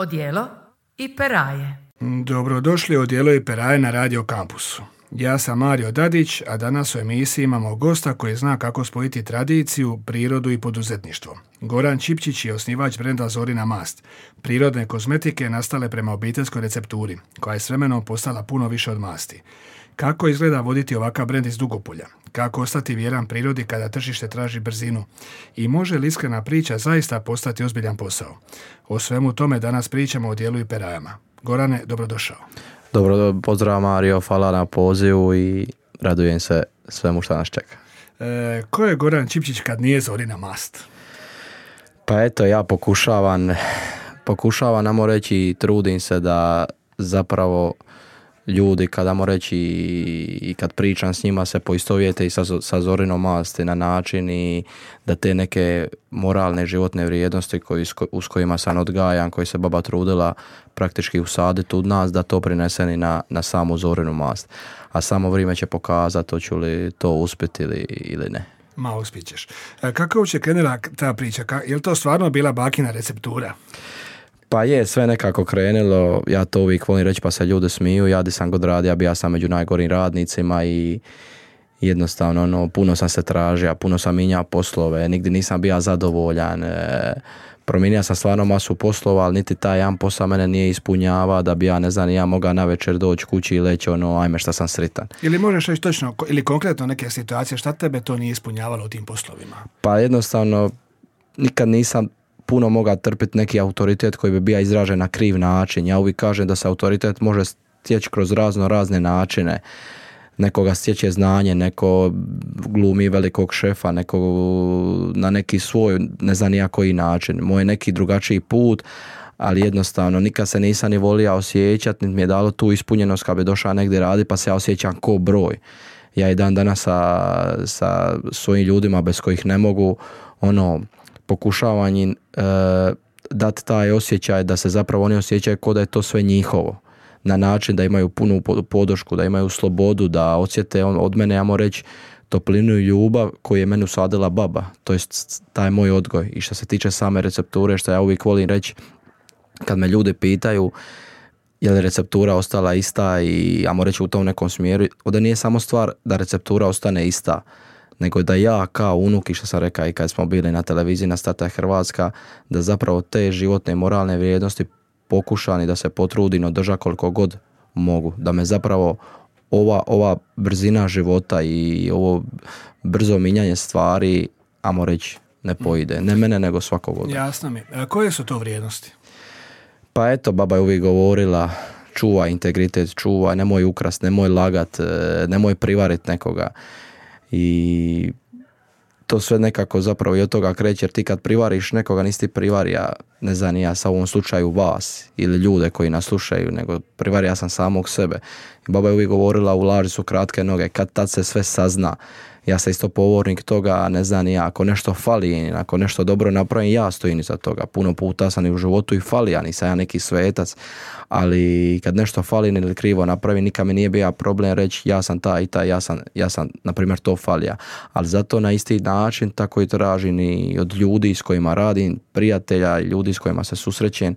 Odijelo i peraje. Dobrodošli u Odijelo i peraje na Radio Kampusu. Ja sam Mario Dadić, a danas u emisiji imamo gosta koji zna kako spojiti tradiciju, prirodu i poduzetništvo. Goran Čipčić je osnivač brenda Zorina mast, prirodne kozmetike nastale prema obiteljskoj recepturi, koja je s vremenom postala puno više od masti. Kako izgleda voditi ovakav brend iz Dugopolja? Kako ostati vjeran prirodi kada tržište traži brzinu? I može li iskrena priča zaista postati ozbiljan posao? O svemu tome danas pričamo o odijelu i perajama. Gorane, dobrodošao. Dobro, pozdrav Mario, hvala na pozivu i radujem se svemu što nas čeka. Ko je Goran Čipčić kad nije Zorina mast? Pa eto, ja pokušavam, namo reći, trudim se da zapravo ljudi, kadamo reći, i kad pričam s njima se poistovjete i sa Zorinom masti na način i da te neke moralne životne vrijednosti s kojima sam odgajan, koji se baba trudila praktički usaditi u nas, da to prineseni na samu Zorinu mast. A samo vrijeme će pokazati hoću li to uspjeti ili ne. Ma, uspjećeš. Kako uopće krenula ta priča? Je li to stvarno bila bakina receptura? Pa je, sve nekako krenulo, ja to uvijek volim reći pa se ljudi smiju, ja di sam god radio, ja sam među najgorim radnicima i jednostavno puno sam se tražio, puno sam minjao poslove, nigdje nisam bio zadovoljan, promijenio sam stvarno masu poslova, ali niti taj jedan posao mene nije ispunjava da bi ja mogao navečer doći kući i leći ajme šta sam sritan. Ili možeš reći točno, ili konkretno neke situacije, šta tebe to nije ispunjavalo u tim poslovima? Pa jednostavno, nikad nisam puno mogao trpiti neki autoritet koji bi bio izražen na kriv način. Ja uvijek kažem da se autoritet može stjeći kroz razne načine. Nekoga stječe znanje, neko glumi velikog šefa, neko na neki svoj, ne znam nija koji način. Moj neki drugačiji put, ali jednostavno nikad se nisam ni volio osjećati, niti mi je dalo tu ispunjenost kad bi došao negdje radi, pa se ja osjećam ko broj. Ja i dan danas sa svojim ljudima bez kojih ne mogu pokušavam im dati taj osjećaj da se zapravo oni osjećaju kao da je to sve njihovo. Na način da imaju punu podršku, da imaju slobodu, da osjete od mene, ja moram reći, toplinu i ljubav koju je meni usadila baba. To je taj moj odgoj. I što se tiče same recepture, što ja uvijek volim reći, kad me ljudi pitaju je li receptura ostala ista i ja moram reći u tom nekom smjeru, ovdje nije samo stvar da receptura ostane ista, nego da ja kao unuk, i što sam rekao i kad smo bili na televiziji na Starta Hrvatska, da zapravo te životne i moralne vrijednosti pokušam i da se potrudim održa koliko god mogu. Da me zapravo ova brzina života i ovo brzo minjanje stvari, ajmo reći, ne pojde. Ne mene, nego svakog od. Jasno mi. Koje su to vrijednosti? Pa eto, baba je uvijek govorila, čuvaj integritet, čuvaj, nemoj ukrast, nemoj lagat, nemoj privarit nekoga. I to sve nekako zapravo i od toga kreće, jer ti kad privariš nekoga nisi ti privarija, ne znam ja sa u ovom slučaju vas ili ljude koji nas slušaju, nego privarija sam samog sebe. I baba je uvijek govorila u laži su kratke noge, kad tad se sve sazna. Ja sam isto povornik toga, ne znam ja, ako nešto fali, ako nešto dobro napravim, ja stojim iza toga. Puno puta sam i u životu i fali, ja nisam ja neki svetac, ali kad nešto fali ili krivo napravim, nikad mi nije bio problem reći ja sam taj i taj, ja sam na primjer to falija. Ali zato na isti način tako i tražim i od ljudi s kojima radim, prijatelja i ljudi s kojima se susrećem.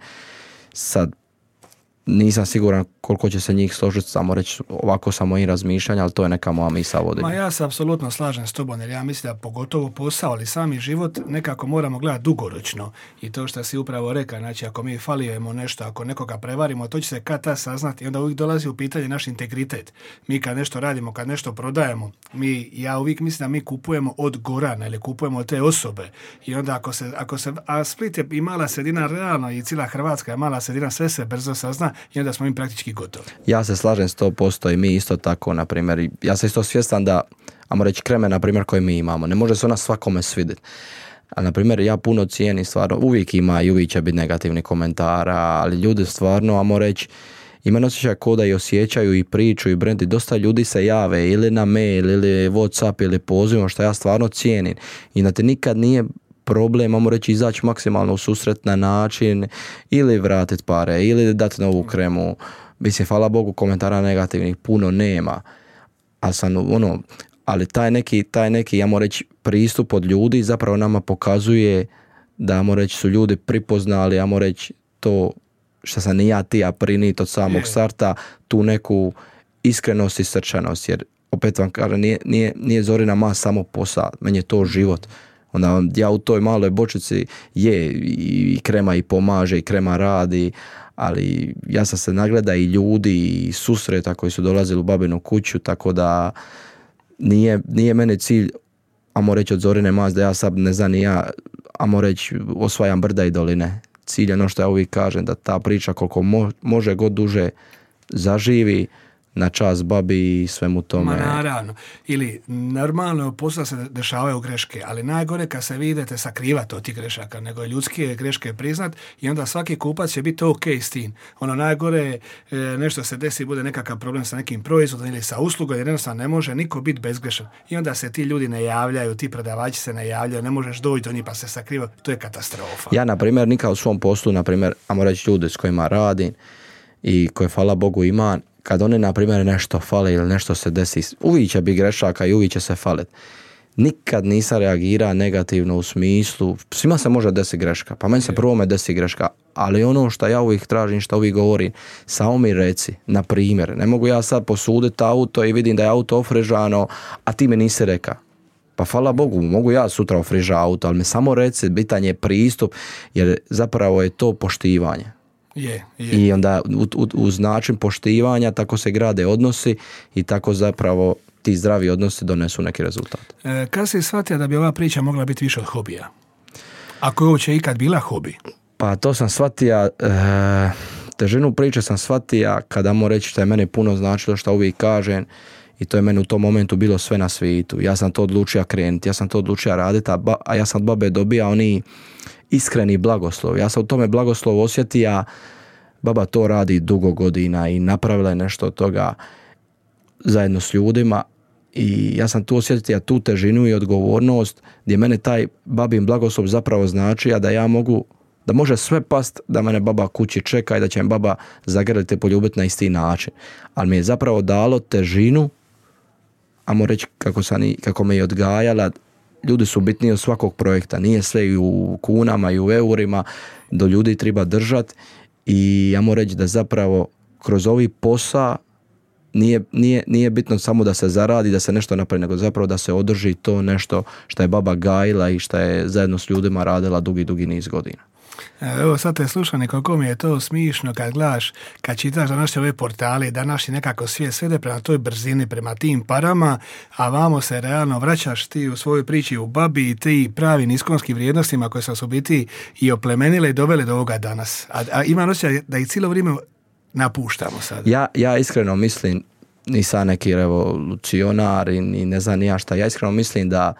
Sad, nisam siguran koliko će se njih složiti, samo reći ovako sa mojim razmišljanjem, ali to je neka moja misao vodim. Ma ja se apsolutno slažem s tobom, jer ja mislim da pogotovo posao, ali sami život nekako moramo gledati dugoročno. I to što si upravo rekao, znači ako mi falijemo nešto, ako nekoga prevarimo, to će se kad ta saznati i onda uvijek dolazi u pitanje naš integritet. Mi kad nešto radimo, kad nešto prodajemo, ja uvijek mislim da mi kupujemo od Gorana ili kupujemo od te osobe. I onda ako se a Split je i mala sredina realno i cijela Hrvatska je mala sredina, sve se brzo sazna i onda smo im praktički gotovi. Ja se slažem 100% i mi isto tako, na primjer, ja sam isto svjestan da, ajmo reći, kreme, na primjer, koje mi imamo, ne može se ona svakome svidjeti. Ali, na primjer, ja puno cijenim stvarno, uvijek ima i uvijek će biti negativni komentara, ali ljudi stvarno, ajmo reći, imaju osjećaj ko da i osjećaju i priču i brendi. Dosta ljudi se jave ili na mail ili Whatsapp ili pozivom, što ja stvarno cijenim. I da te nikad nije problem, ajmo reći, izaći maksimalno u susret na način ili vratiti pare ili dati novu kremu. Mislim, hvala Bogu, komentara negativnih puno nema. Ali taj neki, ja moram reći, pristup od ljudi zapravo nama pokazuje da, ajmo reći, su ljudi pripoznali, ajmo reći, to što sam ni ja ti prinit od samog starta, tu neku iskrenost i srčanost, jer opet vam kažem, nije Zorina mast samo posao, meni je to život. Onda ja u toj maloj bočici i krema i pomaže i krema radi, ali ja sam se nagleda i ljudi i susreta koji su dolazili u babinu kuću, tako da nije meni cilj, amo reći od Zorine mast, da ja sad ne znam ni ja, amo reći osvajam brda i doline. Cilj je ono što ja uvijek kažem, da ta priča koliko može god duže zaživi, na čast babi i svemu tome. Ma naravno. Ili normalno posla se dešavaju greške, ali najgore kad se vidite sakrivati od tih grešaka, nego ljudske greške priznat i onda svaki kupac će biti ok s tim. Ono najgore nešto se desi, bude nekakav problem sa nekim proizvodom ili sa uslugom, jer jednostavno ne može niko biti bezgrešan. I onda se ti ljudi ne javljaju, ti prodavači se ne javljaju, ne možeš doći do njih pa se sakriva. To je katastrofa. Ja, na primjer, nikad u svom poslu, na primjer, ajmo reći ljudi s kojima radim i koje, hvala Bogu, imam, kad oni, na primjer, nešto fale ili nešto se desi, uvijek će biti grešaka i uvijek će se faliti. Nikad nisam reagirao negativno u smislu, svima se može desiti greška, pa meni se prvo desi greška, ali ono što ja uvijek tražim, što uvijek govorim, samo mi reci, na primjer, ne mogu ja sad posuditi auto i vidim da je auto ofrižano, a ti mi nisi rekao. Pa hvala Bogu, mogu ja sutra ofrižati auto, ali mi samo reci, bitan je pristup, jer zapravo je to poštivanje. Je. I onda uz način poštivanja tako se grade odnosi i tako zapravo ti zdravi odnosi donesu neki rezultat. Kad si shvatio da bi ova priča mogla biti više od hobija? Ako je uopće ikad bila hobi? Pa to sam shvatio, težinu priče sam shvatio kada moram reći što je meni puno značilo, što uvijek kažem, i to je meni u tom momentu bilo sve na svijetu. Ja sam to odlučio krenuti, ja sam to odlučio raditi, a ja sam od babe dobija oni iskreni blagoslov. Ja sam u tome blagoslovu osjetio, baba to radi dugo godina i napravila je nešto od toga zajedno s ljudima i ja sam tu osjetio tu težinu i odgovornost gdje mene taj babin blagoslov zapravo znači, a da ja mogu, da može sve past da mene baba kući čeka i da će me baba zagrliti i poljubiti na isti način. Ali mi je zapravo dalo težinu, ajmo reći kako me je odgajala. Ljudi su bitniji od svakog projekta, nije sve i u kunama i u eurima, do ljudi treba držati i ja moram reći da zapravo kroz ovi posao nije bitno samo da se zaradi, da se nešto napravi, nego zapravo da se održi to nešto što je baba gajila i što je zajedno s ljudima radila dugi niz godina. Evo sad te slušam i koliko mi je to smišno kad gledaš, kad čitaš današnje ove portale, današnji nekako svijet svede prema toj brzini, prema tim parama, a vamo se realno vraćaš ti u svojoj priči u babi i ti pravim iskonskim vrijednostima koje su biti i oplemenile i dovele do ovoga danas. A imam osjećaj da ih cijelo vrijeme napuštamo sad. Ja iskreno mislim, nisam neki revolucionar i ne znam ni ja šta, ja iskreno mislim da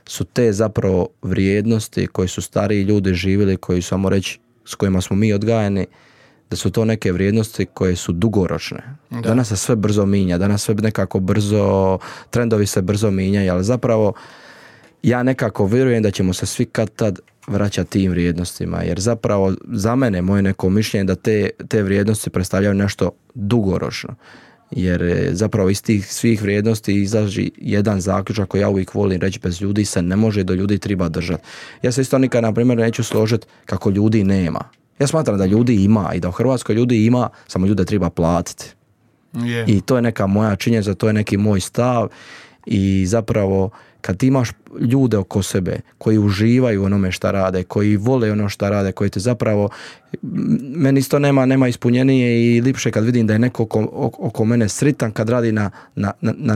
su te zapravo vrijednosti koje su stariji ljudi živjeli, koji su, reći, s kojima smo mi odgajani, da su to neke vrijednosti koje su dugoročne. Da. Danas se sve brzo minja, danas sve nekako brzo, trendovi se brzo minjaju, ali zapravo ja nekako vjerujem da ćemo se svi kad tad vraćati tim vrijednostima, jer zapravo za mene, moje neko mišljenje, da te vrijednosti predstavljaju nešto dugoročno. Jer zapravo iz tih svih vrijednosti izlazi jedan zaključak koji ja uvijek volim reći, bez ljudi se ne može, do ljudi treba držati. Ja se isto nikad, na primjer, neću složiti kako ljudi nema. Ja smatram da ljudi ima i da u Hrvatskoj ljudi ima, samo ljude treba platiti. Yeah. I to je neka moja činjenica, to je neki moj stav i zapravo kad ti imaš ljude oko sebe koji uživaju onome šta rade, koji vole ono šta rade, koji te zapravo, meni isto nema ispunjenije i lipše kad vidim da je neko oko mene sritan kad radi na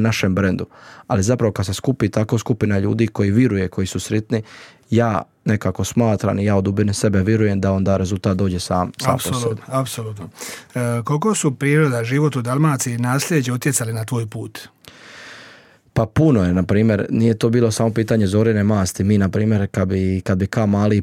našem brendu. Ali zapravo kad se skupi tako skupina ljudi koji vjeruje, koji su sretni, ja nekako smatram i ja od dubine sebe vjerujem da onda rezultat dođe sam po sebi. Apsolutno. Koliko su priroda, život u Dalmaciji i nasljeđe utjecali na tvoj put? Pa puno je, na primjer, nije to bilo samo pitanje Zorine masti. Mi, na primjer, kad bi ka mali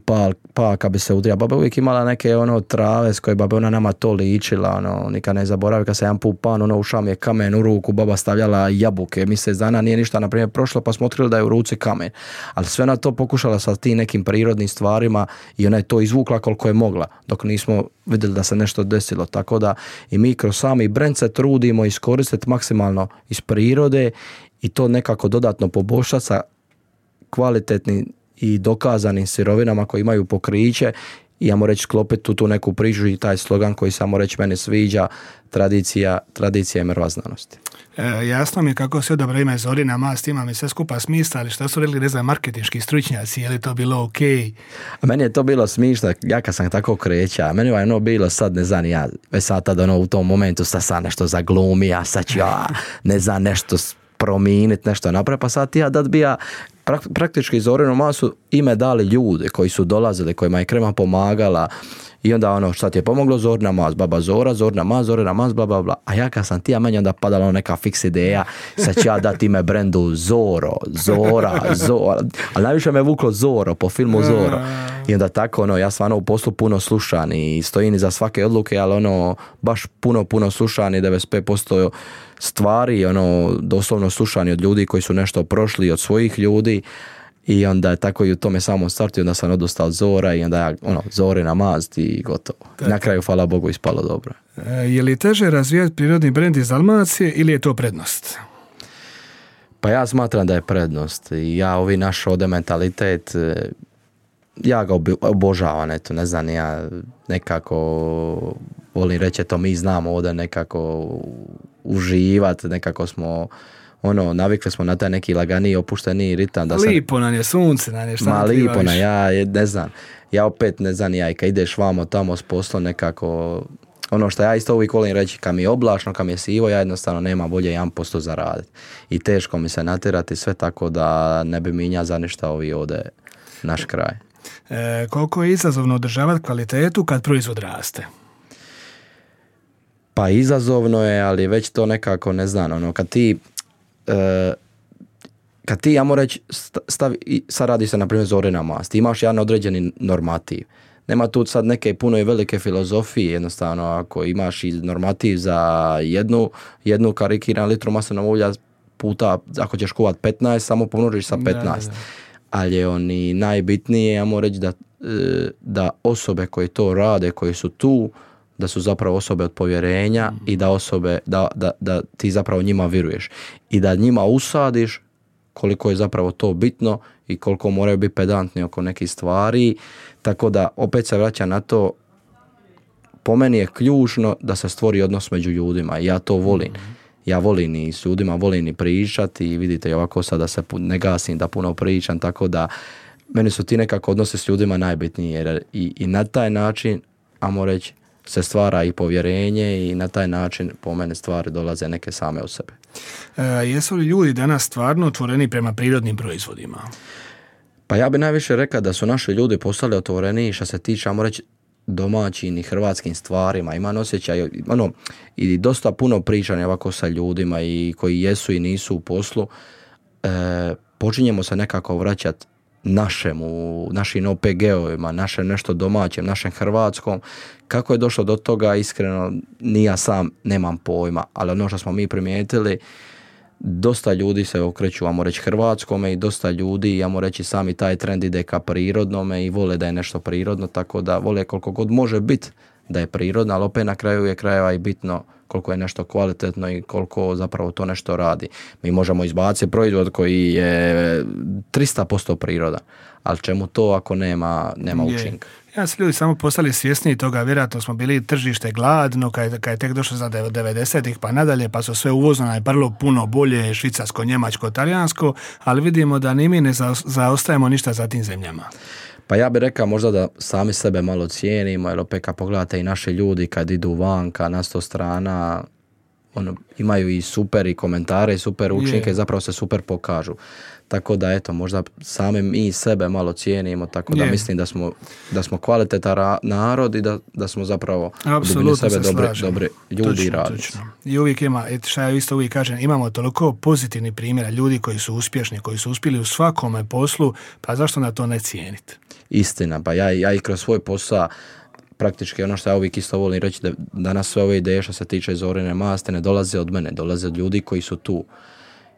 pa kad bi se udrija, baba uvijek imala neke trave s koje baba ona nama to ličila, nikad ne zaboravi kad se jedan put pan, ušao mi je kamen u ruku, baba stavljala jabuke, mjesec dana nije ništa, na primjer, prošlo pa smo otkrili da je u ruci kamen. Ali sve na to pokušala sa tim nekim prirodnim stvarima i ona je to izvukla koliko je mogla, dok nismo vidjeli da se nešto desilo. Tako da i mi kroz sami brend se trudimo iskoristiti maksimalno iz prirode i to nekako dodatno poboljšati sa kvalitetnim i dokazanim sirovinama koje imaju pokriće i ja reći sklopiti tu neku priču i taj slogan koji samo reći meni sviđa, tradicija je mrva znanosti. Jasno mi je kako se dobro ime Zorina Mast, ima mi sve skupa smisla, ali šta su rekli, ne znam, marketinški stručnjaci, je li to bilo ok? A meni je to bilo smišno, ja kad sam tako kreća, meni je bilo sad, ne znam, ja već sad tad u tom momentu sad nešto zaglumi, a sad ću ja, ne znam, nešto promijeniti, nešto napraviti, pa sad ja dat bi ja praktički Zorinu Masu ime dali ljude koji su dolazili, kojima je krema pomagala. I onda šta ti je pomoglo, Zorina Mas, baba Zora, Zorina Mas, bla bla bla. A ja kad sam ti, a meni onda padala neka fiks ideja, sad ću ja dati ime brendu Zora. Ali najviše me vuklo Zoro, po filmu Zoro. I onda tako, ja sam u poslu puno slušan i stojim iza svake odluke, ali baš puno slušan i 95% stvari, doslovno slušani od ljudi koji su nešto prošli, od svojih ljudi. I onda je tako i u tome samom startu, onda sam odustao od Zora i onda ja, Zorina Mast i gotovo. Na kraju, hvala Bogu, ispalo dobro. Je li teže razvijati prirodni brend iz Dalmacije ili je to prednost? Pa ja smatram da je prednost. I ja ovi naš ovdje mentalitet, ja ga obožavam, eto, ne znam, ja nekako volim reći, to mi znamo ovdje nekako uživati, nekako smo navikli smo na taj neki laganiji, opušteniji ritam. Lipo nam je, sunce nam je, šta ti lipo nam, ja ne znam, ja opet ne znam, ja i kad ideš vamo tamo s poslom nekako, što ja isto uvijek volim reći, kad mi je oblačno, kad mi je sivo, ja jednostavno nema bolje 1% zaraditi. I teško mi se natjerati sve, tako da ne bi minja za ništa ovi ovdje naš kraj. Koliko je izazovno održavati kvalitetu kad proizvod raste? Pa izazovno je, ali već to nekako, ne znam, kad ti, ja moram reći, sad radi se na primjer Zorina Mast, imaš jedan određeni normativ. Nema tu sad neke puno i velike filozofije, jednostavno ako imaš i normativ za jednu karikiranu litru maslinovog ulja puta, ako ćeš kuvat 15, samo pomnožiš sa 15. Da. Ali je najbitnije, ja moram reći da osobe koje to rade, koje su tu, da su zapravo osobe od povjerenja i da ti zapravo njima vjeruješ. I da njima usadiš koliko je zapravo to bitno i koliko moraju biti pedantni oko nekih stvari. Tako da opet se vraća na to, po meni je ključno da se stvori odnos među ljudima i ja to volim. Ja volim i s ljudima, volim i pričati i vidite ovako sada se ne gasim da puno pričam, tako da meni su ti nekako odnose s ljudima najbitniji jer i na taj način, ajmo reći, se stvara i povjerenje i na taj način po mene stvari dolaze neke same od sebe. Jesu li ljudi danas stvarno otvoreni prema prirodnim proizvodima? Pa ja bi najviše rekao da su naši ljudi postali otvoreni što se tiče, ajmo reći, domaćim i hrvatskim stvarima. Imam osjećaj, i dosta puno pričanja ovako sa ljudima i koji jesu i nisu u poslu. Počinjemo se nekako vraćati našim OPG-ovima, našem nešto domaćem, našem hrvatskom. Kako je došlo do toga, iskreno, ni ja sam nemam pojma, ali što smo mi primijetili, dosta ljudi se okreću, ajmo reći, hrvatskome i dosta ljudi, ajmo reći, sami taj trend ide ka prirodnome i vole da je nešto prirodno, tako da vole koliko god može biti da je prirodno, ali opet na kraju je krajeva i bitno koliko je nešto kvalitetno i koliko zapravo to nešto radi. Mi možemo izbaciti proizvod koji je 300% priroda, ali čemu to ako nema učinka? Ja se ljudi samo postali svjesni toga, vjerojatno smo bili tržište gladno, kad je tek došlo za 90-ih pa nadalje, pa su sve uvozno najprvo puno bolje, švicarsko, njemačko, talijansko, ali vidimo da ni mi ne zaostajemo ništa za tim zemljama. Pa ja bih rekao možda da sami sebe malo cijenimo, jer opet kad pogledate i naši ljudi kad idu vanka na 100 strana, imaju i super i komentare i super učinke, zapravo se super pokažu. Tako da eto, možda sami mi sebe malo cijenimo, tako da mislim da smo kvalitetan narod i da smo zapravo u sebe dobri ljudi i radnici. I uvijek ima, što ja isto uvijek kažem, imamo toliko pozitivnih primjera ljudi koji su uspješni, koji su uspjeli u svakome poslu, pa zašto na to ne cijeniti? Istina, pa ja i kroz svoj posao praktički što ja uvijek isto volim reći, da danas sve ove ideje što se tiče Zorine Maste ne dolaze od mene, dolaze od ljudi koji su tu.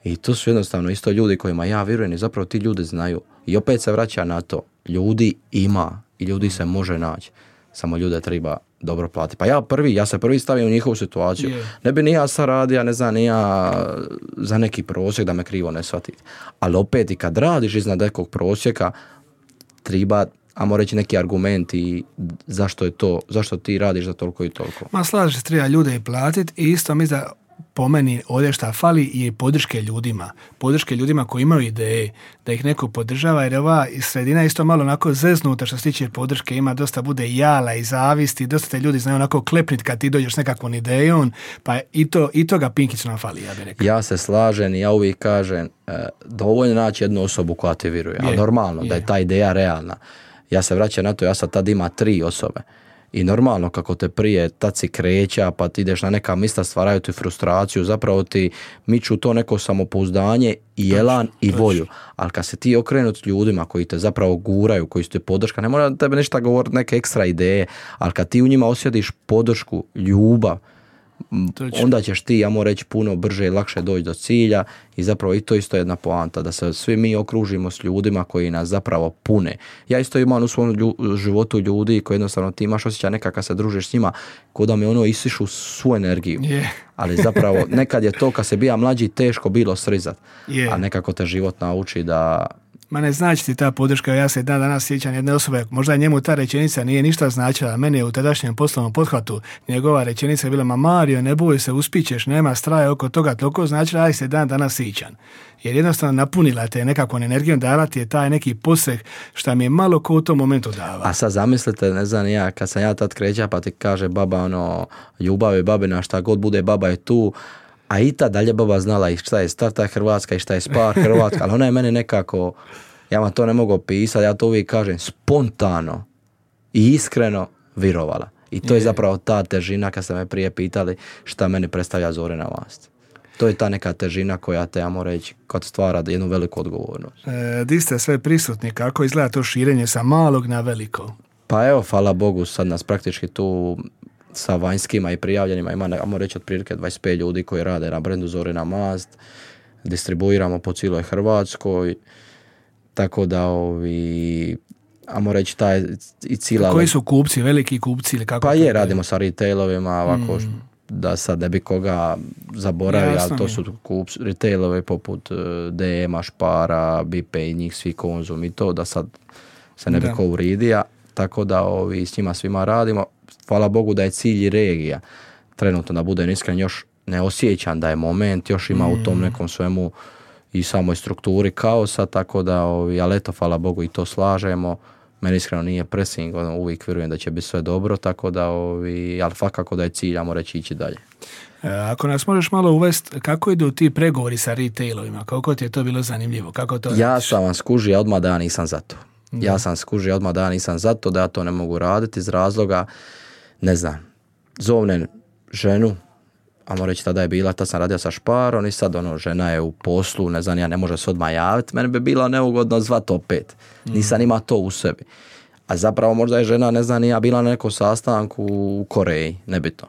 I to su jednostavno isto ljudi kojima ja vjerujem i zapravo ti ljudi znaju. I opet se vraća na to, ljudi ima i ljudi se može naći, samo ljude treba dobro platiti. Pa ja se prvi stavim u njihovu situaciju. Ne bi ni ja sad radio, ne znam, ni ja za neki prosjek da me krivo ne shvatiti. Ali opet i kad radiš iznad nekog prosjeka, treba ajmo reći neki argumenti zašto ti radiš za toliko i toliko. Ma slažeš se, treba ljude i platiti i isto mi da po meni ovdje šta fali je podrške ljudima. Podrške ljudima koji imaju ideje, da ih neko podržava, jer ova sredina je isto malo onako zeznuta što se tiče podrške, ima dosta bude jala i zavisti, dosta te ljudi znaju onako klepniti kad ti dođeš s nekakvom idejom, pa i toga pinkicu nam fali, ja bih rekao. Ja se slažem i ja uvijek kažem, dovoljno naći jednu osobu koja ti vjeruje, ali normalno da je ta ideja realna. Ja se vraćam na to, ja sad tad ima 3 osobe. I normalno kako te prije tad si kreća, pa ti ideš na neka mista, stvaraju ti frustraciju, zapravo ti miču to neko samopouzdanje i elan i volju. Ali kad se ti okrenut ljudima koji te zapravo guraju, koji su te podrška, ne mora tebe ništa govoriti, neke ekstra ideje, ali kad ti u njima osjetiš podršku, ljubav, onda ćeš ti, ja moram reći, puno brže i lakše doći do cilja i zapravo i to isto je jedna poanta, da se svi mi okružimo s ljudima koji nas zapravo pune. Ja isto imam u svom životu ljudi koji jednostavno ti imaš osjećaj nekako kad se družiš s njima, ko da mi ono isišu svu energiju. Ali zapravo nekad je to kad se bija mlađi teško bilo srizat, a nekako te život nauči da... Ma ne znači ti ta podrška, ja se danas sjećam jedne osobe, možda njemu ta rečenica nije ništa značila, meni je u tadašnjem poslovnom pothvatu njegova rečenica je bila, ma Mario, ne boj se, uspićeš, nema straja oko toga, toliko značila, aj se danas sjećam. Jer jednostavno napunila te nekakvom energijom, dala ti je taj neki poseh šta mi je malo ko u tom momentu dava. A sad zamislite, ne znam ja, kad sam ja tad kreća pa ti kaže baba ljubav je babina, šta god bude baba je tu, a i ta dalje baba znala i šta je Starta Hrvatska i šta je Spar Hrvatska, ali ona je mene nekako, ja vam to ne mogu opisati, ja to uvijek kažem, spontano i iskreno virovala. I to je zapravo ta težina kad ste me prije pitali šta meni predstavlja Zorina Mast. To je ta neka težina koja te, ja moram reći, kad stvara jednu veliku odgovornost. Di ste sve prisutni, kako izgleda to širenje sa malog na veliko? Pa evo, hvala Bogu, sad nas praktički tu sa vanjskima i prijavljenima ima, moram reći, otprilike 25 ljudi koji rade na brendu Zorina Mast. Distribuiramo po cijeloj Hrvatskoj, tako da ajmo reći taj i cijela... Koji su kupci, veliki kupci ili kako? Pa radimo sa retailovima, ovako da sad ne bi koga zaboravio, ali to su kupci, retailovi poput DM-a, Špara, Bipe i njih svi Konzum i to, da sad se ne bi ko uridio, tako da s njima svima radimo. Hvala Bogu da je cilj i regija. Trenutno, da budem iskren, još ne osjećam da je moment, još ima u tom nekom svemu i samoj strukturi kaosa, tako da, ali eto, hvala Bogu i to slažemo. Meni iskreno nije pressing, uvijek vjerujem da će biti sve dobro, tako da, ali svakako da je cilj, ajmo reći, ići dalje. Ako nas možeš malo uvesti, kako idu ti pregovori sa retailovima? Kako ti je to bilo zanimljivo? Kako to ja sam vam skužio odmah da ja nisam za to. Ja sam skužio odmah da ja nisam za to, da ja to ne mogu raditi iz razloga, ne znam, zovnem ženu, ajmo reći tada je bila, tad sam radio sa Šparom i sad žena je u poslu, ne znam, ja ne može se odmah javiti, meni bi bilo neugodno zvati opet. Nisam ima to u sebi. A zapravo možda je žena, ne znam, ja bila na nekom sastanku u Koreji, nebitno.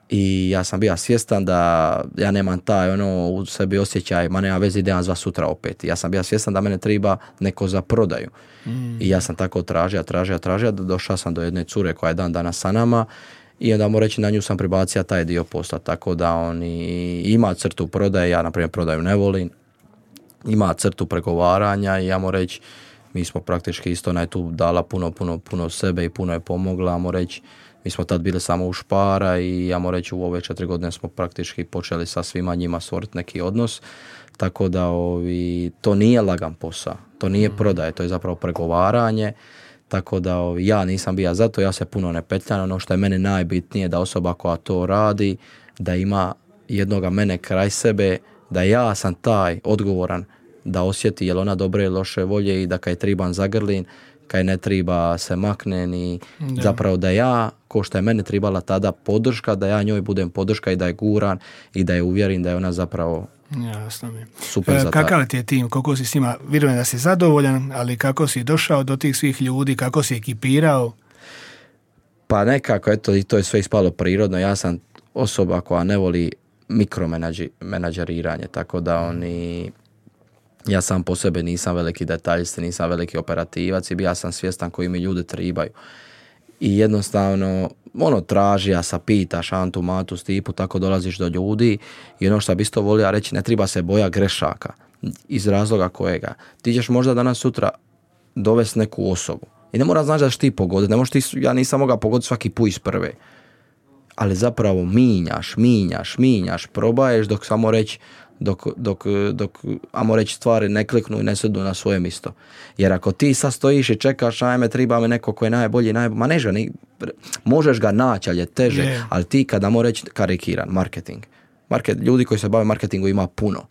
I ja sam bio svjestan da ja nemam taj u sebi osjećaj, ma nema veze, idem zva sutra opet. Ja sam bio svjestan da mene treba neko za prodaju. I ja sam tako tražio, došao sam do jedne cure koja je dan danas sa nama i onda moram reći, na nju sam pribacio taj dio posla, tako da oni ima crtu prodaje, ja na primjer prodaju ne volim, ima crtu pregovaranja i ja moram reći, mi smo praktički isto tu dala puno sebe i puno je pomogla, moram reći, mi smo tad bili samo u Špara i ja moram reći, u ove 4 godine smo praktički počeli sa svima njima stvoriti neki odnos, tako da to nije lagan posao, to nije prodaje, to je zapravo pregovaranje. Tako da ja nisam bio za to, ja se puno ne petljam. Ono što je meni najbitnije da osoba koja to radi, da ima jednoga mene kraj sebe, da ja sam taj odgovoran da osjeti je li ona dobre ili loše volje i da kaj triban zagrlin, kaj ne triba se maknen i zapravo da ja, ko što je meni tribala tada podrška, da ja njoj budem podrška i da je guran i da je uvjerim da je ona zapravo jasno mi. Super za kakav ti je tim, koliko si s njima, vjerujem da si zadovoljan, ali kako si došao do tih svih ljudi, kako si ekipirao? Pa nekako, eto, i to je sve ispalo prirodno. Ja sam osoba koja ne voli mikromenadžeriranje, tako da ja sam po sebi nisam veliki detaljist, nisam veliki operativac i ja sam svjestan koji mi ljudi tribaju. I jednostavno, traži, sa pitaš, Antu, Matu, Stipu, tako dolaziš do ljudi i ono što bi isto volio reći, ne treba se boja grešaka iz razloga kojega. Ti ćeš možda danas sutra dovesti neku osobu, I ne mora znači da ćeš ti pogoditi. Ja nisam mogao pogoditi svaki put iz prve. Ali zapravo minjaš, probaješ dok samo reći, dok ajmo reći stvari ne kliknu i ne sjednu na svoje mjesto. Jer ako ti sad stojiš i čekaš, ajme, treba me neko ko je najbolji, ma možeš ga naći, ali je teže. Ali ti kad, ajmo reći, karikiran, marketing. Ljudi koji se bave marketingu ima puno.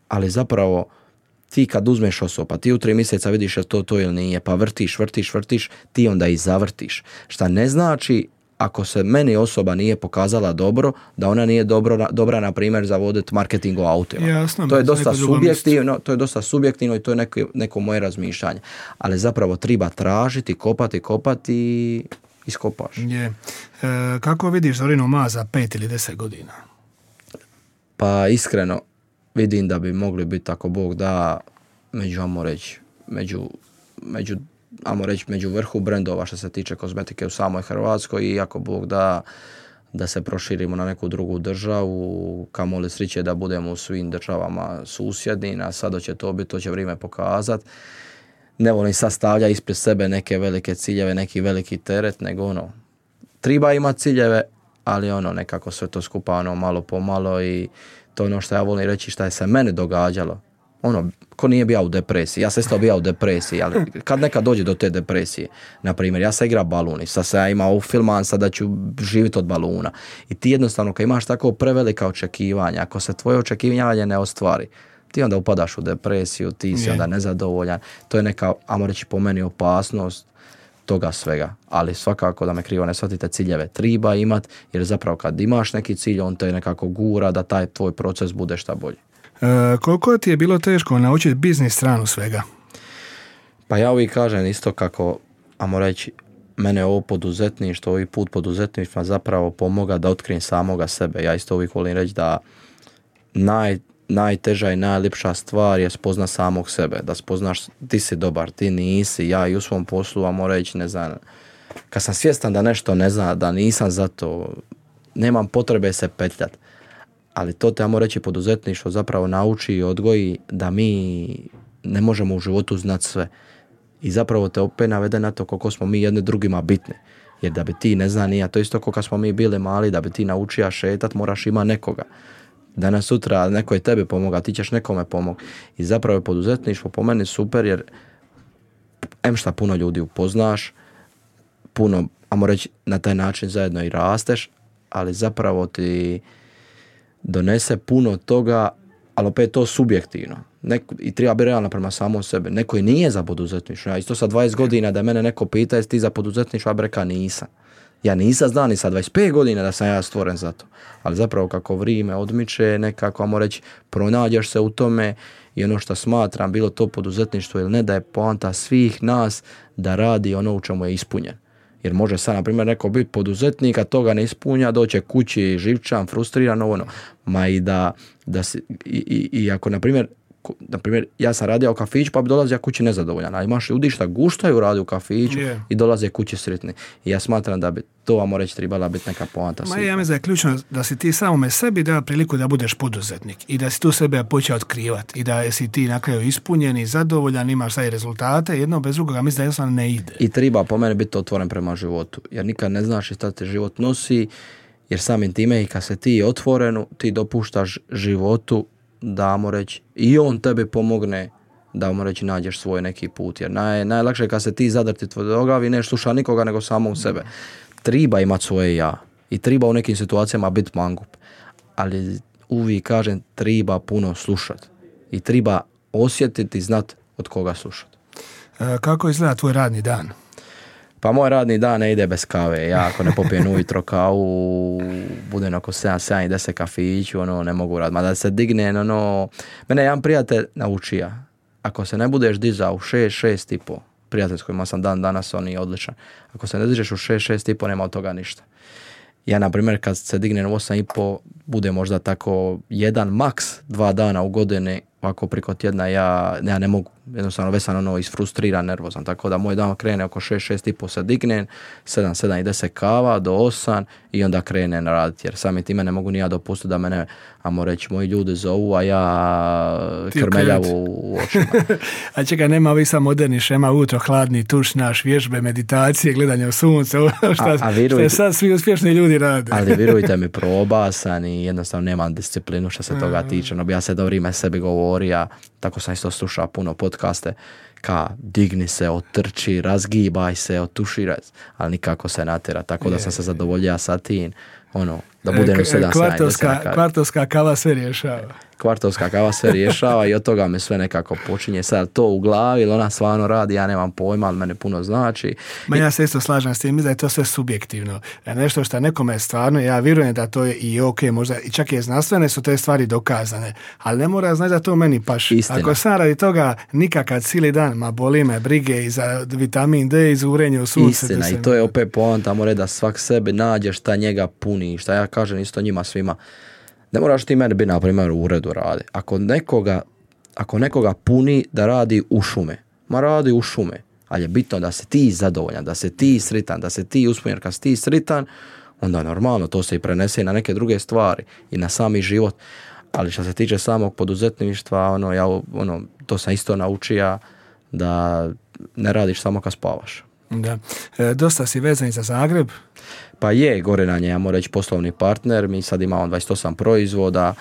Ali zapravo ti kad uzmeš osobu, pa ti u 3 mjeseca vidiš je to ili nije, pa vrtiš, ti onda i zavrtiš. Šta ne znači, ako se meni osoba nije pokazala dobro, da ona nije dobra, na primjer, za voditi marketing o autima. Jasno, to je dosta subjektivno i to je neko moje razmišljanje. Ali zapravo treba tražiti, kopati i iskopaš. Kako vidiš Zorinu Ma za 5 ili 10 godina? Pa iskreno vidim da bi mogli biti, ako Bog da, među vrhu brendova što se tiče kozmetike u samoj Hrvatskoj, i ako Bog da se proširimo na neku drugu državu, kamoli sreće da budemo u svim državama susjedni, a sad će to biti, to će vrijeme pokazati. Ne volim sad stavlja ispred sebe neke velike ciljeve, neki veliki teret, nego treba imati ciljeve, ali nekako sve to skupa malo po malo, i to je što ja volim reći šta je se meni događalo. Ko nije bio u depresiji, ja sam isto bio u depresiji, ali kad nekad dođe do te depresije, na primjer, ja sam igrao balun i sad sam imao filman, sad da ću živjeti od baluna. I ti jednostavno, kad imaš tako prevelika očekivanja, ako se tvoje očekivanje ne ostvari, ti onda upadaš u depresiju, ti si onda nezadovoljan. To je neka, ajmo reći, po meni opasnost toga svega. Ali svakako, da me krivo ne shvatite, ciljeve treba imat, jer zapravo kad imaš neki cilj, on te nekako gura da taj tvoj proces bude šta bolji. Koliko ti je bilo teško naučiti biznis stranu svega? Pa ja uvijek kažem isto kako, ajmo reći, mene ovo poduzetništvo, ovaj put poduzetništva zapravo pomoga da otkrijem samoga sebe. Ja isto uvijek volim reći da najteža i najljepša stvar je spozna samog sebe. Da spoznaš ti si dobar, ti nisi. Ja i u svom poslu, ajmo reći, ne znam, kad sam svjestan da nešto ne znam, da nisam za to, nemam potrebe se petljati. Ali to te, ajmo reći, poduzetništvo zapravo nauči i odgoji da mi ne možemo u životu znati sve. I zapravo te opet navede na to koliko smo mi jedni drugima bitni. Jer da bi ti, ne znam ni ja, to isto koliko smo mi bili mali, da bi ti naučio šetat, moraš ima nekoga. Danas sutra neko je tebi pomoga, ti ćeš nekome pomoći. I zapravo je poduzetništvo po meni super, jer šta puno ljudi upoznaš, puno, ajmo reći, na taj način zajedno i rasteš, ali zapravo ti donese puno toga, ali opet to subjektivno. I treba biti realno prema samom sebi. Neko i nije za poduzetništvo. Ja isto sa 20 godina da mene neko pita jesi ti za poduzetništvo, ja bi rekao nisam. Ja nisam zna ni sa 25 godina da sam ja stvoren za to. Ali zapravo kako vrijeme odmiče, nekako, ajmo reći, pronađeš se u tome, i ono što smatram, bilo to poduzetništvo ili ne, da je poanta svih nas da radi ono u čemu je ispunjen. Jer može sad, na primjer, neko biti poduzetnik, a toga ne ispunja, doće kući živčan, frustriran, ma i i ako, na primjer, ja sam radio u kafiću, pa bi dolazio kući nezadovoljan, a imaš ljudi šta guštaju radi u kafiću i dolaze kući sretni. I ja smatram da bi to, ajmo reći, trebala biti neka poanta. Ja mislim da je ključno da si ti samome sebi dao priliku da budeš poduzetnik i da si tu sebe počeo otkrivati i da si ti na kraju ispunjen i zadovoljan, imaš sad i rezultate, jedno bez drugoga mislim da jednostavno ne ide. I treba po meni biti otvoren prema životu, jer nikad ne znaš šta te život nosi, jer samim time i kad se ti otvorenu, ti dopuštaš životu da, ajmo reći, i on tebi pomogne da, ajmo reći, nađeš svoj neki put. Jer najlakše je kad se ti zadrti tvrdoglavi, ne sluša nikoga nego samo u sebe. Treba imati svoje ja i treba u nekim situacijama biti mangup. Ali uvijek kažem, treba puno slušati i treba osjetiti i znati od koga slušati. Kako izgleda tvoj radni dan? Pa moj radni dan ne ide bez kave. Ja ako ne popijem ujutro kavu, budem oko 7 i 10 kafiću, ne mogu raditi. Ma da se digne, mene jedan prijatelj naučio. Ako se ne budeš dizao u 6 i po, prijatelj s kojima sam danas, on je odličan. Ako se ne dižeš u 6 i po, nema od toga ništa. Ja, na primjer, kad se dignem u 8 i po, bude možda tako 1, maks 2 dana u godini, ovako preko tjedna, ja ne mogu. jednostavno već sam ono isfrustriran, nervozan, tako da moj dan krene oko 6:30 se dignem, 7:10 kava do 8 i onda krenem raditi, jer sami time ne mogu ni ja dopustiti da mene, ajmo reći, moji ljudi zovu, a ja krmeljavu u očima. A čekaj, nema ovih sam moderni šema, utro, hladni tuš, naš, vježbe, meditacije, gledanje u sunce, šta sad svi uspješni ljudi rade. Ali vjerujte mi, probasan i jednostavno nemam disciplinu što se toga tiče. No, ja se do vrijeme sebi govorio, tako sam isto slušao puno podcaste, digni se, otrči, razgibaj se, otuširaj, ali nikako se natjera, tako da sam se zadovoljio sa tim, da budem u 7:10. Kvartovska kava sve rješava. Kvartovska kava sve rješava i od toga mi sve nekako počinje. Sad to u glavi ili ona stvarno radi, ja nemam pojma, ali mene puno znači. Ja se isto slažem s tim, da je to sve subjektivno. Nešto što nekome stvarno, ja vjerujem da to je i ok, možda i čak i znanstvene su te stvari dokazane, ali ne mora znači da to meni paši. Istina. Ako sam radi toga nikakav cijeli dan, boli me brige i za vitamin D i za urenje u sunce. Istina, i to je opet poanta, mora da svak sebi nađe šta njega puni, šta ja kažem isto njima svima. Ne moraš ti meni biti, na primjer, u uredu radi. Ako nekoga puni da radi u šume, radi u šume, ali je bitno da se ti zadovoljan, da se ti sritan, da se ti uspunjen. Kad si ti sritan, onda normalno to se i prenese na neke druge stvari i na sami život. Ali što se tiče samog poduzetništva, to sam isto naučio da ne radiš samo kad spavaš. Da. Dosta si vezan za Zagreb. Pa je, Gorenan je, ja moram reći, poslovni partner, mi sad imamo 28 proizvoda,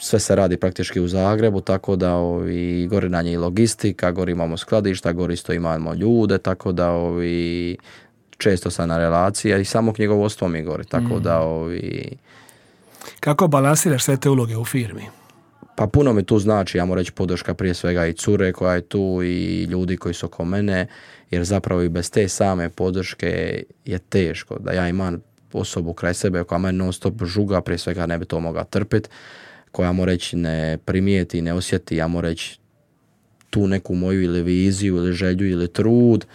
sve se radi praktički u Zagrebu, tako da Gorenan je i logistika, gori imamo skladišta, gori isto imamo ljude, tako da često sam na relacija i samo knjigovodstvo mi gori, tako da Kako balansiraš sve te uloge u firmi? Pa puno mi tu znači, ja moram reći, podrška prije svega i cure koja je tu i ljudi koji su oko mene, jer zapravo i bez te same podrške je teško da ja imam osobu kraj sebe koja me non stop žuga, prije svega ne bi to mogla trpiti, koja moram reći ne primijeti, ne osjeti, ja moram reći tu neku moju ili viziju ili želju ili trud,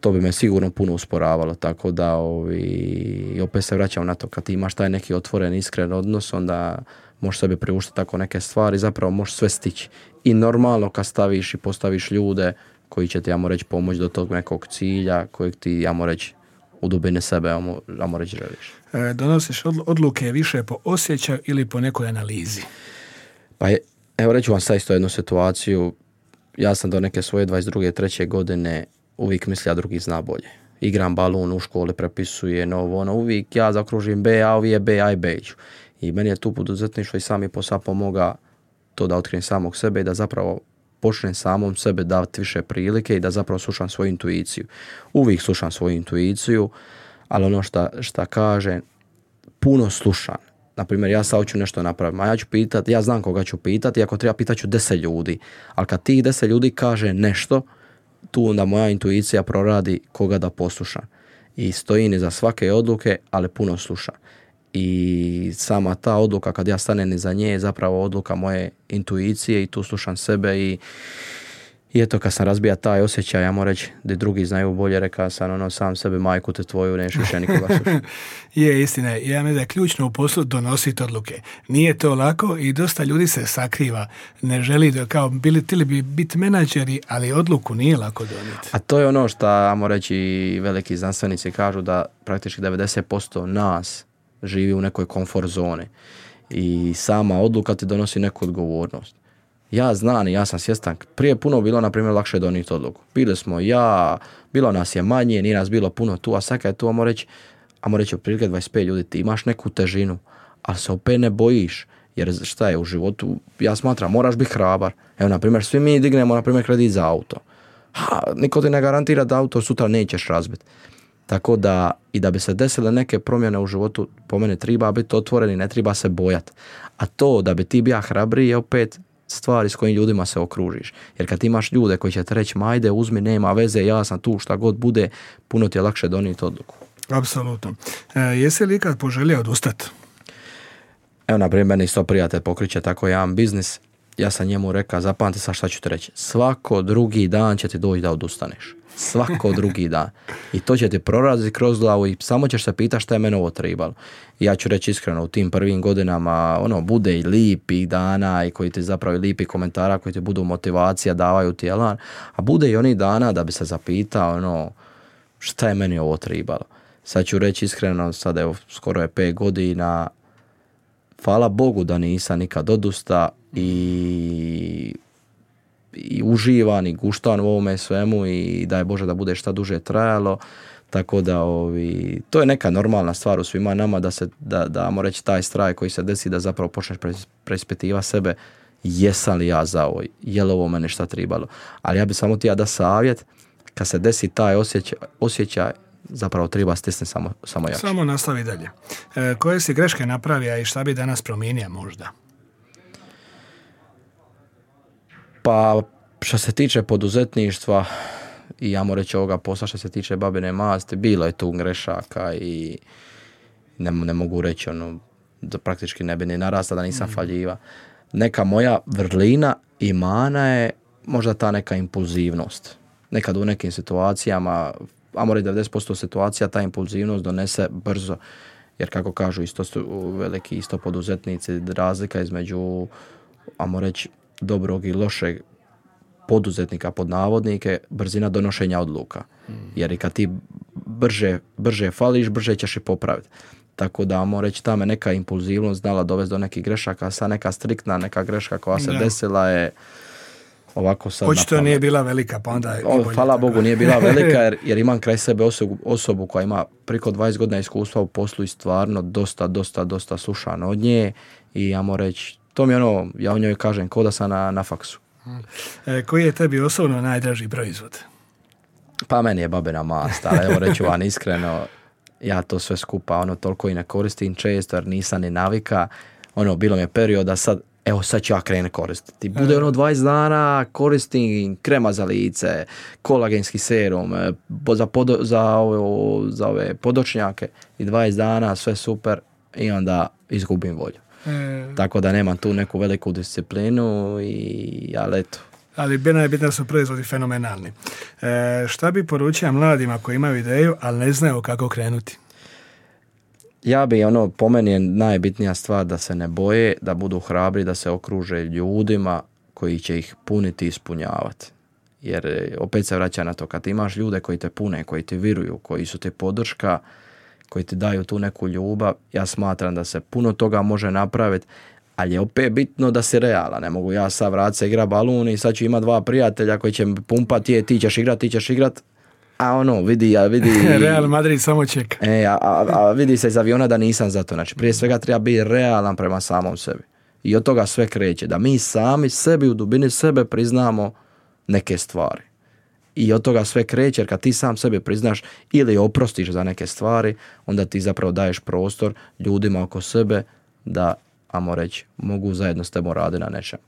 to bi me sigurno puno usporavalo, tako da i opet se vraćam na to, kad ti imaš taj neki otvoren, iskren odnos, onda možeš sebi priuštiti tako neke stvari, zapravo možeš sve stići. I normalno kad staviš i postaviš ljude koji će ti, ja moram reći, pomoći do tog nekog cilja kojeg ti, ja moram reći, u dubine sebe, ja moram reći, želiš. Donosiš odluke više po osjećaju ili po nekoj analizi? Pa evo reću vam sad isto jednu situaciju. Ja sam do neke svoje 22. 3. godine uvijek mislio drugi zna bolje. Igram balun u školi, prepisujem uvijek ja zakružim B, a ovi je B, a i B ću. I meni je tu poduzetništvo i sami posao pomoga to da otkrijem samog sebe i da zapravo počnem samom sebe davati više prilike i da zapravo slušam svoju intuiciju. Uvijek slušam svoju intuiciju, ali ono šta kažem, puno slušam. Naprimjer, ja sad hoću nešto napraviti, a ja ću pitati, ja znam koga ću pitati, ako treba pitat ću 10 ljudi. Ali kad tih 10 ljudi kaže nešto, tu onda moja intuicija proradi koga da poslušam. I stojim iza svake odluke, ali puno slušam. I sama ta odluka, kad ja stanem iza nje, je zapravo odluka moje intuicije i tu slušam sebe i eto, kad sam razbija taj osjećaj, ja moram reći da drugi znaju bolje, rekao sam sam sebe, majku te tvoju, neš više nikoga slušati. Je, istina je. Ja mislim da je ključno u poslu donositi odluke. Nije to lako i dosta ljudi se sakriva. Ne želi da htjeli bi biti menadžeri, ali odluku nije lako donijeti. A to je ono što, ajmo reći, veliki znanstvenici kažu da praktički 90% nas živi u nekoj komfort zoni i sama odluka ti donosi neku odgovornost. Ja znam i ja sam svjestan, prije puno bilo, na primjer, lakše donijeti odluku. Bili smo bilo nas je manje, nije nas bilo puno tu, a sad kad je tu, ajmo reći, otprilike 25 ljudi, ti imaš neku težinu, ali se opet ne bojiš, jer šta je u životu, ja smatram, moraš biti hrabar. Evo, na primjer, svi mi dignemo, na primjer, kredit za auto. Niko ti ne garantira da auto sutra nećeš razbiti. Tako da, i da bi se desile neke promjene u životu, po meni treba biti otvoren i ne treba se bojati. A to da bi ti bio hrabriji je opet stvari s kojim ljudima se okružiš. Jer kad imaš ljude koji će te reći, ajde, uzmi, nema veze, ja sam tu, šta god bude, puno ti je lakše donijeti odluku. Apsolutno. Jesi li ikad poželio odustati? Evo, na primjer, meni isto prijatelj pokriče tako jedan biznis. Ja sam njemu rekao, zapamti sad šta ću ti reći. Svako drugi dan će ti doći da odustaneš. Svako drugi dan. I to će ti proraziti kroz glavu i samo ćeš se pitati šta je meni ovo trebalo. I ja ću reći iskreno, u tim prvim godinama bude i lipih dana i koji ti zapravo lipi komentara koji ti budu motivacija, davaju ti elan, a bude i onih dana da bi se zapitao šta je meni ovo trebalo. Sad ću reći iskreno, sad evo skoro je 5 godina, hvala Bogu da nisam nikad odusta i uživan i guštan u ovome svemu i daj Bože da bude šta duže trajalo, tako da to je neka normalna stvar u svima nama da ajmo reći taj strah koji se desi da zapravo počneš preispitivati sebe, jesam li ja za ovo, je li ovo mene šta trebalo, ali ja bi samo ti da savjet, kad se desi taj osjećaj zapravo treba stisne samo jače. Samo nastavi dalje. Koje si greške napravio i šta bi danas promijenio možda? Pa što se tiče poduzetništva i ajmo reći ovoga posla što se tiče babine masti, bilo je tu grešaka i ne mogu reći da praktički ne bi ni narasta da nisam faljiva. Neka moja vrlina i mana je možda ta neka impulzivnost. Nekad u nekim situacijama, ajmo reći 90% situacija, ta impulzivnost donese brzo. Jer kako kažu isto veliki poduzetnici, razlika između, ajmo reći, dobrog i lošeg poduzetnika pod navodnike, brzina donošenja odluka. Jer i kad ti brže fališ, brže ćeš i popraviti. Tako da, ajmo reći, ta me neka impulzivnost znala dovesti do nekih grešaka, sad neka striktna neka greška koja se desila je ovako sad očito nije bila velika, pa onda je bolje. Hvala Bogu nije bila velika jer imam kraj sebe osobu koja ima preko 20 godina iskustva u poslu i stvarno dosta slušan od nje i ajmo reći, to mi je ja o njoj kažem ko da sam na faksu. Koji je tebi osobno najdraži proizvod? Pa meni je babina mast, ali evo reću vam iskreno, ja to sve skupa toliko i ne koristim često jer nisam ni navika, bilo mi je perioda sad ću ja krenem koristiti. Bude 20 dana, koristim krema za lice, kolagenski serum, za ove podočnjake i 20 dana, sve super i onda izgubim volju. Tako da nemam tu neku veliku disciplinu ali eto. Ali najbitnije su proizvodi fenomenalni. Šta bi poručio mladima koji imaju ideju, ali ne znaju kako krenuti? Ja bi po meni je najbitnija stvar da se ne boje, da budu hrabri, da se okruže ljudima koji će ih puniti i ispunjavati. Jer opet se vraća na to, kad imaš ljude koji te pune, koji ti viruju, koji su ti podrška, koji ti daju tu neku ljubav, ja smatram da se puno toga može napraviti, ali je opet bitno da si realan. Ne mogu ja sad vratiti se igra balun i sad ću imati 2 prijatelja koji će pumpati, ti ćeš igrat, a vidi Real Madrid samo čeka. A vidi se iz aviona da nisam za to. Znači, prije svega treba biti realan prema samom sebi. I od toga sve kreće. Da mi sami sebi u dubini sebe priznamo neke stvari. I od toga sve kreće, jer kad ti sam sebi priznaš ili oprostiš za neke stvari, onda ti zapravo daješ prostor ljudima oko sebe da, ajmo reći, mogu zajedno s tebom raditi na nečem.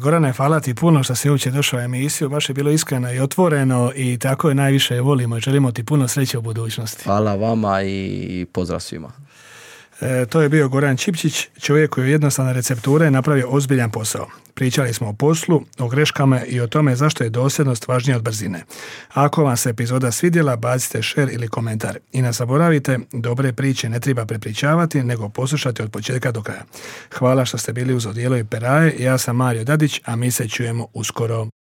Gorane, hvala ti puno što si uopće došao u emisiju, baš je bilo iskreno i otvoreno i tako je najviše volimo i želimo ti puno sreće u budućnosti. Hvala vama i pozdrav svima. To je bio Goran Čipčić, čovjek koji je jednostavne recepture napravio ozbiljan posao. Pričali smo o poslu, o greškama i o tome zašto je dosljednost važnija od brzine. Ako vam se epizoda svidjela, bacite share ili komentar. I ne zaboravite, dobre priče ne treba prepričavati, nego poslušati od početka do kraja. Hvala što ste bili uz Odijelo i Peraje, ja sam Mario Dadić, a mi se čujemo uskoro.